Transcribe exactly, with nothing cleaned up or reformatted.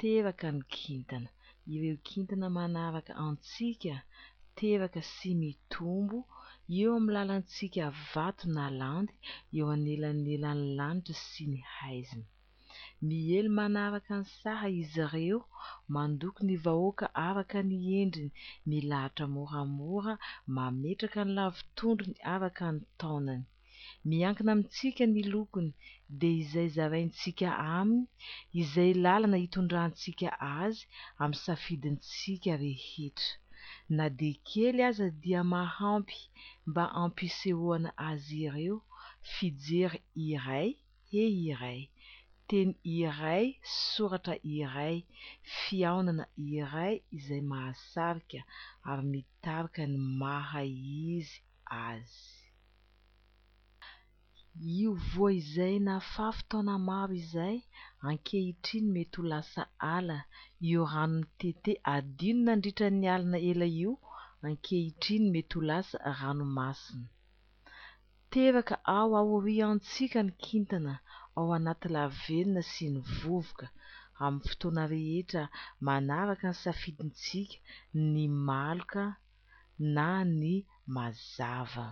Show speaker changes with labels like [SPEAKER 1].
[SPEAKER 1] Teraka ny kintana. Ireo kintana manaraka antsika, teraka sy mitombo eo amin'ny lalantsika vato na landy eo anelanelan'ny lanitra sy ny haizina. Miely manaraka ny saha izy ireo, mandoko ny vahoaka araka ny endriny, milahatra moramora, mametraka ny lavotondrony araka ny taonany. Miankina amintsika ny lokony, dia izay zaraintsika aminy, izay lalana hitondrantsika azy amin'ny safidintsika rehetra. Na dia kely aza dia mahampy mba hampisehoana azy ireo fijery iray, hehy iray, teny iray, soratra iray, fihaonana iray izay mahasarika ary mitarika ny maha-izy azy. Io voa izay nafafy taona maro izay, ankehitriny mety ho lasa ala. Io rano mitete adino nandritra ny alina ela io, ankehitriny mety ho lasa ranomasina. Teraka ao aoriantsika ny kintana, ao anaty lavenona sy ny vovoka. Amin'ny fotoana rehetra manaraka ny safidintsika, ny maloka na ny mazava.